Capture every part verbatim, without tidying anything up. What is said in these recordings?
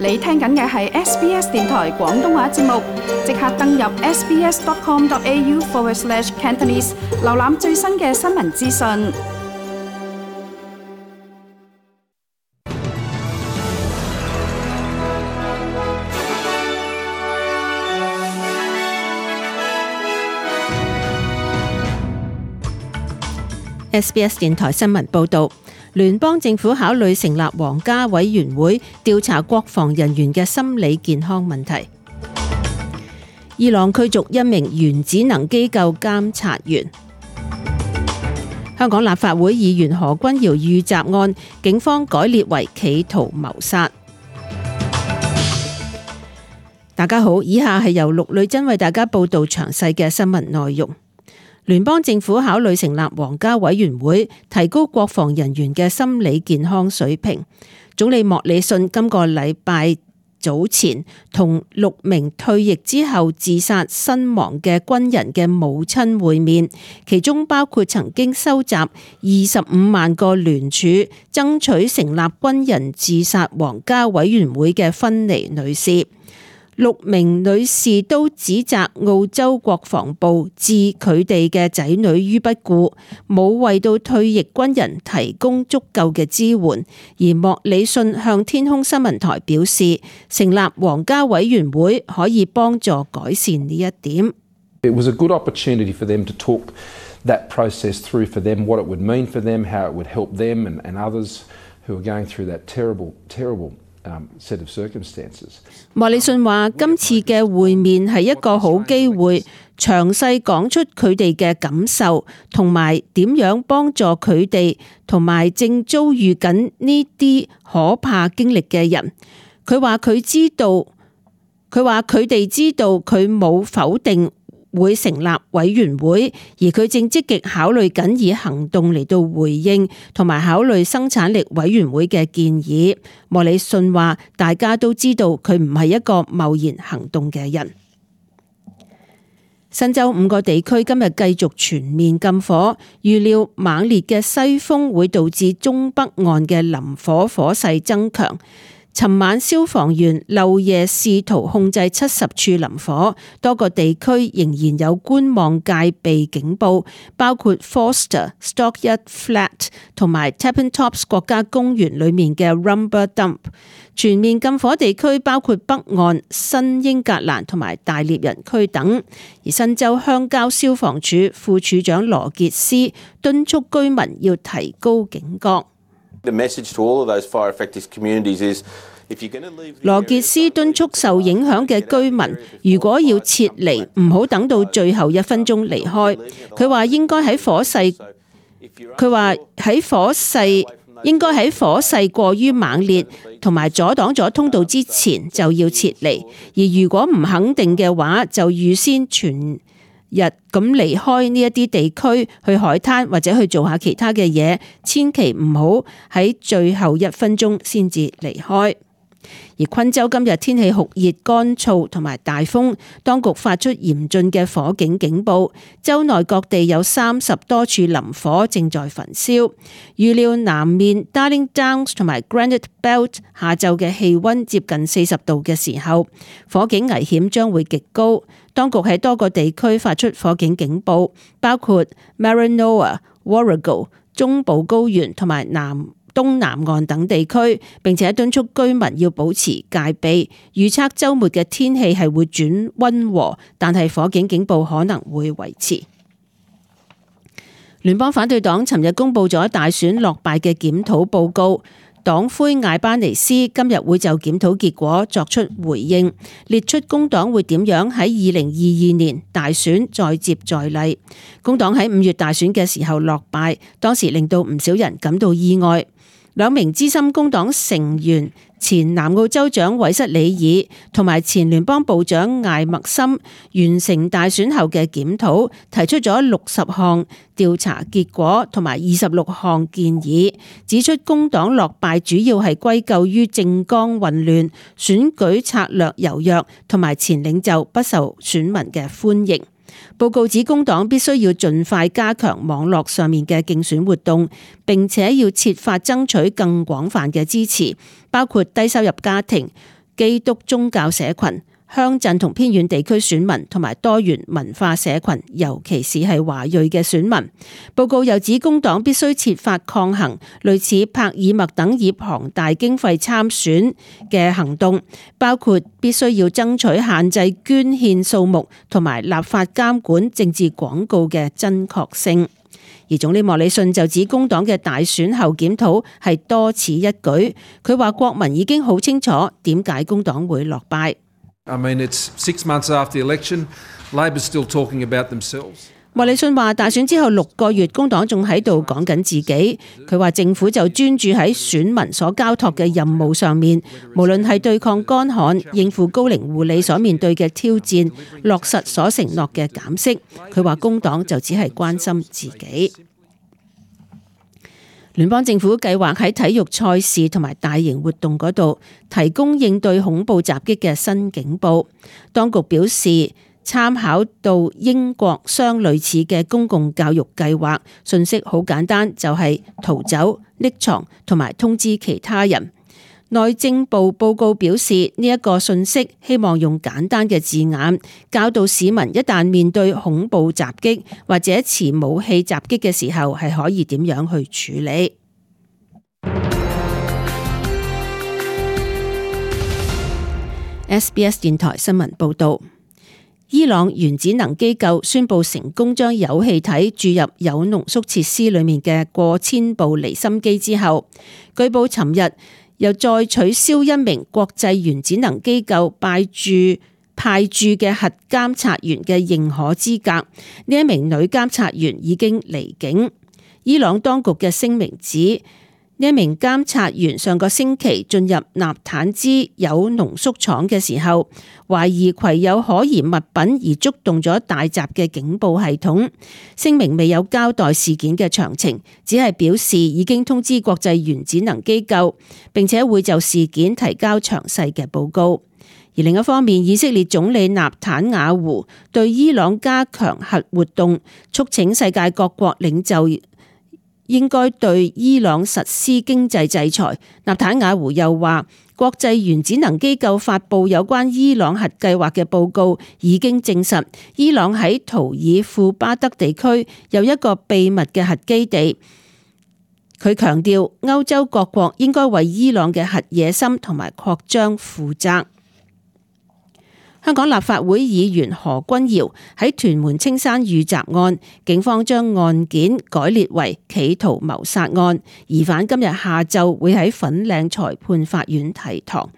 你聽緊嘅係 S B S 電台廣東話節目，即刻登入 sbs.com.au forward slash Cantonese， 瀏覽最新嘅新聞資訊。S B S 電台新聞報導，聯邦政府考慮成立皇家委員會調查國防人員嘅心理健康問題。伊朗驅逐一名原子能機構監察員。香港立法會議員何君堯遇襲案，警方改列為企圖謀殺。大家好，以下係由陸女珍為大家報道詳細嘅新聞內容。聯邦政府考慮成立皇家委員會，提高國防人員嘅心理健康水平。總理莫里遜今個禮拜早前同六名退役之後自殺身亡嘅軍人嘅母親會面，其中包括曾經收集二十五萬個聯署，爭取成立軍人自殺皇家委員會嘅芬妮女士。六名女士都指責澳洲國防部置佢哋嘅仔女於不顧，冇為到退役軍人提供足夠嘅支援。而莫里遜向天空新聞台表示，成立皇家委員會可以幫助改善呢一點。It was a good opportunity for them to talk that process through for them, what it would mean for them, how it would help them and, and others who are going through that terrible, terrible Um, set of circumstances. 莫里遜話：今次嘅會面係一個好機會，詳細講出佢哋嘅感受，同埋點樣幫助佢哋，同埋正遭遇緊呢啲可怕經歷嘅人。佢話佢知道，佢話佢哋知道佢冇否定會成立委員會，而佢正積極考慮緊以行動嚟到回應同埋考慮生產力委員會嘅建議。莫里遜話：大家都知道佢唔係一個貿然行動嘅人。新州五個地區今日繼續全面禁火，預料猛烈嘅西風會導致中北岸嘅林火火勢增強。尋晚消防員漏夜試圖控制七十處林火，多個地區仍然有觀望戒備警報，包括 Forster、Stockyard Flat 同埋 Tapping Tops 國家公園裏面嘅 Rumber Dump。全面禁火地區包括北岸、新英格蘭同埋大獵人區等。而新州鄉郊消防處副處長羅傑斯敦促居民要提高警覺。The message to all of those fire affected communities is if you're going to leave。羅傑斯敦促受影響嘅居民，如果要撤離，唔好等到最後一分鐘離開。佢話應該喺火勢，佢話喺火勢應該喺火勢過於猛烈同埋阻擋咗通道之前就要撤離。而如果唔肯定嘅話，就預先全日咁離開呢一啲地區，去海灘或者去做下其他嘅嘢，千祈唔好喺最後一分鐘先至離開。而昆州今日天氣酷熱、乾燥同埋大風，當局發出嚴峻嘅火警警報，州內各地有三十多處林火正在焚燒。預料南面 Darling Downs 同埋 Granite Belt 下晝嘅氣溫接近四十度嘅時候，火警危險將會極高。當局喺多個地區發出火警警報，包括 Maranoa、Warrego、中部高原同埋南東南岸等地區，並且敦促居民要保持戒備。預測週末嘅天氣係會轉溫和，但係火警警報可能會維持。聯邦反對黨尋日公布咗大選落敗嘅檢討報告。黨魁艾巴尼斯今日會就檢討結果作出回應，列出工黨會點樣喺二零二二年大選再接再厲。工黨喺五月大選嘅時候落敗，當時令到唔少人感到意外。兩名資深工黨成員，前南澳州長韋瑟里爾同埋前聯邦部長艾默森完成大選後嘅檢討，提出咗六十項調查結果同埋二十六項建議，指出工黨落敗主要係歸咎於政綱混亂、選舉策略柔弱同埋前領袖不受選民嘅歡迎。報告指工黨必須要盡快加強網絡上面嘅競選活動，並且要設法爭取更廣泛嘅支持，包括低收入家庭、基督宗教社群、鄉鎮同偏遠地區選民同埋多元文化社群，尤其是係華裔嘅選民。報告又指工黨必須設法抗衡類似帕爾默等以龐大經費參選嘅行動，包括必須要爭取限制捐獻數目同埋立法監管政治廣告嘅真確性。而總理莫里遜就指工黨嘅大選後檢討係多此一舉，佢話國民已經好清楚點解工黨會落敗。I mean, it's six months after the election, Labor's still talking about themselves. 莫里遜話大選之後六個月，工黨仲喺度講緊自己。佢話政府就專注喺選民所交託嘅任務上面，無論係對抗乾旱、應付高齡護理所面對嘅挑戰、落實所承諾嘅減息。佢話工黨就只係關心自己。聯邦政府計劃喺體育賽事同埋大型活動嗰度提供應對恐怖襲擊嘅新警報。當局表示，參考到英國相類似嘅公共教育計劃，信息好簡單，就係逃走、匿藏同埋通知其他人。內政部報告表示，呢一個信息希望用簡單嘅字眼教導市民，一旦面對恐怖襲擊或者持武器襲擊嘅時候，係可以點樣去處理。S B S 電台新聞報道，伊朗原子能機構宣布成功將鈾氣體注入鈾濃縮設施裏面嘅過千部離心機之後，據報尋日又再取消一名國際原子能機構派駐派駐嘅核監察員嘅認可資格。呢一名女監察員已經離境。伊朗當局嘅聲明指，呢一名監察員上個星期進入納坦茲鈾濃縮廠嘅時候，懷疑攜有可疑物品而觸動咗大閘嘅警報系統。聲明未有交代事件嘅詳情，只係表示已經通知國際原子能機構，並且會就事件提交詳細嘅報告。而另一方面，以色列總理納坦雅胡對伊朗加強核活動，促請世界各國領袖應該對伊朗實施經濟制裁。納坦雅胡又話，國際原子能機構發布有關伊朗核計劃嘅報告，已經證實伊朗喺圖爾庫巴德地區有一個秘密嘅核基地。佢強調，歐洲各國應該為伊朗嘅核野心同埋擴張負責。香港立法會議員何君堯喺屯門青山遇襲案，警方將案件改列為企圖謀殺案，疑犯今日下晝會喺粉嶺裁判法院提堂。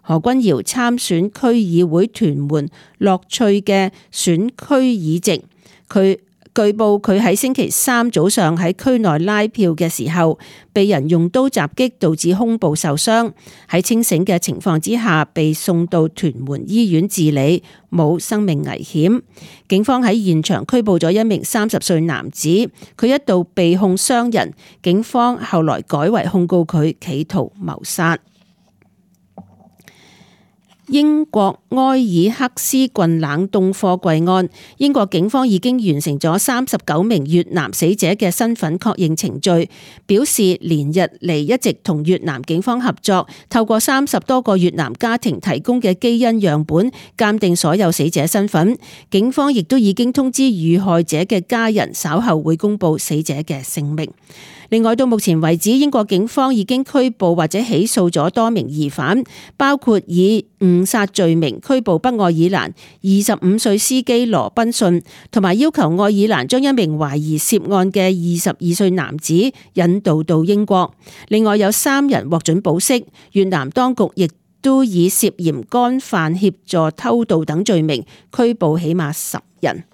何君堯參選區議會屯門樂趣嘅選區議席，佢據報佢喺星期三早上喺區內拉票嘅時候，被人用刀襲擊，導致胸部受傷。喺清醒嘅情況之下，被送到屯門醫院治理，冇生命危險。警方喺現場拘捕咗一名三十歲男子，佢一度被控傷人，警方後來改為控告佢企圖謀殺。英國埃爾克斯郡冷凍貨櫃案，英國警方已經完成咗三十九名越南死者嘅身份確認程序，表示連日嚟一直同越南警方合作，透過三十多個越南家庭提供嘅基因樣本鑑定所有死者身份。警方亦都已經通知遇害者嘅家人，稍後會公布死者嘅姓名。另外，到目前為止，英國警方已經拘捕或者起訴咗多名疑犯，包括以誤殺罪名拘捕北愛爾蘭二十五歲司機羅賓遜，同埋要求愛爾蘭將一名懷疑涉案嘅二十二歲男子引渡到英國。另外有三人獲准保釋，越南當局亦都以涉嫌干犯協助偷渡等罪名拘捕起碼十人。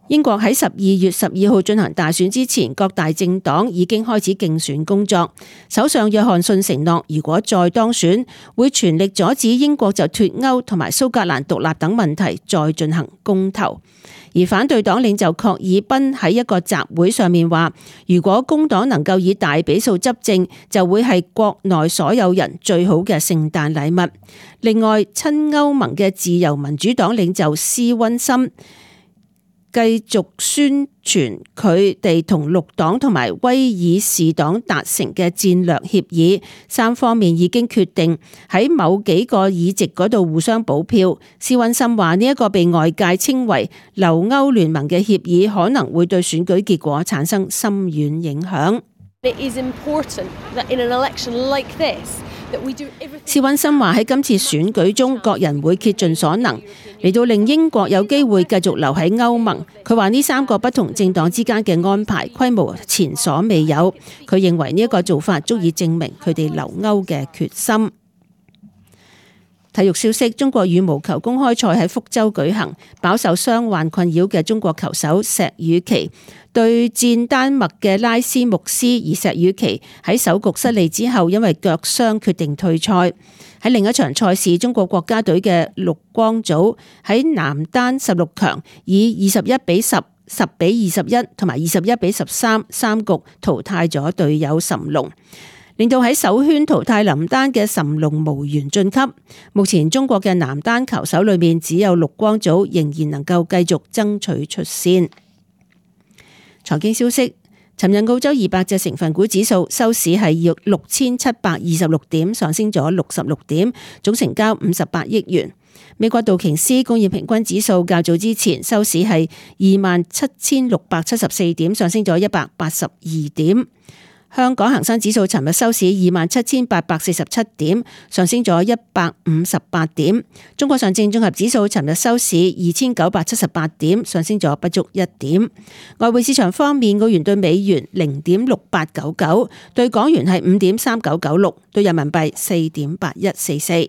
英國喺十二月十二號進行大選之前，各大政黨已經開始競選工作。首相約翰遜承諾，如果再當選，會全力阻止英國就脫歐同埋蘇格蘭獨立等問題再進行公投。而反對黨領袖郝爾彬喺一個集會上面話，如果工黨能夠以大比數執政，就會係國內所有人最好嘅聖誕禮物。另外，親歐盟嘅自由民主黨領袖施溫森繼續宣傳佢哋同綠黨同埋威爾士黨達成嘅戰略協議，三方面已經決定喺某幾個議席嗰度互相補票。施溫森話呢一個被外界稱為留歐聯盟嘅協議可能會對選舉結果產生深遠影響。施溫森話喺今次選舉中，各人會竭盡所能嚟到令英國有機會繼續留喺歐盟。佢話呢三個不同政黨之間嘅安排規模前所未有。佢認為呢一個做法足以證明佢哋留歐嘅決心。體育消息：中國羽毛球公開賽喺福州舉行，飽受傷患困擾嘅中國球手石宇奇對戰丹麥嘅拉斯穆斯，而石宇奇喺首局失利之後，因為腳傷決定退賽。喺另一場賽事，中國國家隊嘅陸光祖喺男單十六強以二十一比十、十比二十一同埋二十一比十三三局淘汰咗隊友諶龍，令到喺首圈淘汰林丹嘅諶龍無緣晉級。目前中國嘅男單球手裏面只有陸光祖仍然能夠繼續爭取出線。財經消息：尋日澳洲二百隻成分股指數收市係六千七百二十六點，上升咗六十六點，總成交五十八億元。美國道瓊斯工業平均指數較早之前收市係二萬七千六百七十四點，上升咗一百八十二點。香港恒生指數尋日收市二萬七千八百四十七點，上升咗一百五十八點。中國上證綜合指數尋日收市二千九百七十八點，上升咗不足一點。外匯市場方面，澳元對美元零點六八九九，對港元係五點三九九六，對人民幣四點八一四四。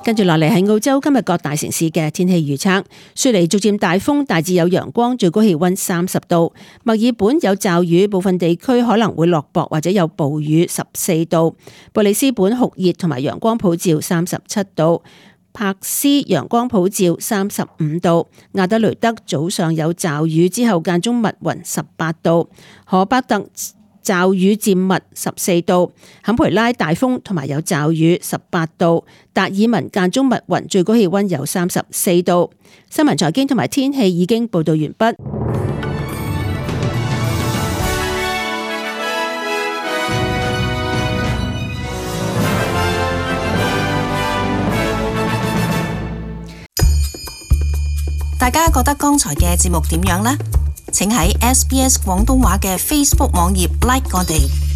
跟住落嚟係澳洲今日各大城市嘅天氣預測。雪梨逐漸大風，大致有陽光，最高氣溫三十度。墨爾本有驟雨，部分地區可能會落雹或者有暴雨，十四度。布里斯本酷熱同埋陽光普照，三十七度。柏斯陽光普照，三十五度。亞德雷德早上有驟雨，之後間中密雲，十八度。荷伯特驟雨漸密，十四度。坎培拉大風同埋有驟雨，十八度。達爾文間中密雲，最高氣溫有三十四度。新聞財經同埋天氣已經報道完畢。大家覺得剛才嘅節目點樣呢？請喺 S B S 廣東話嘅 Facebook 網頁 like 我哋。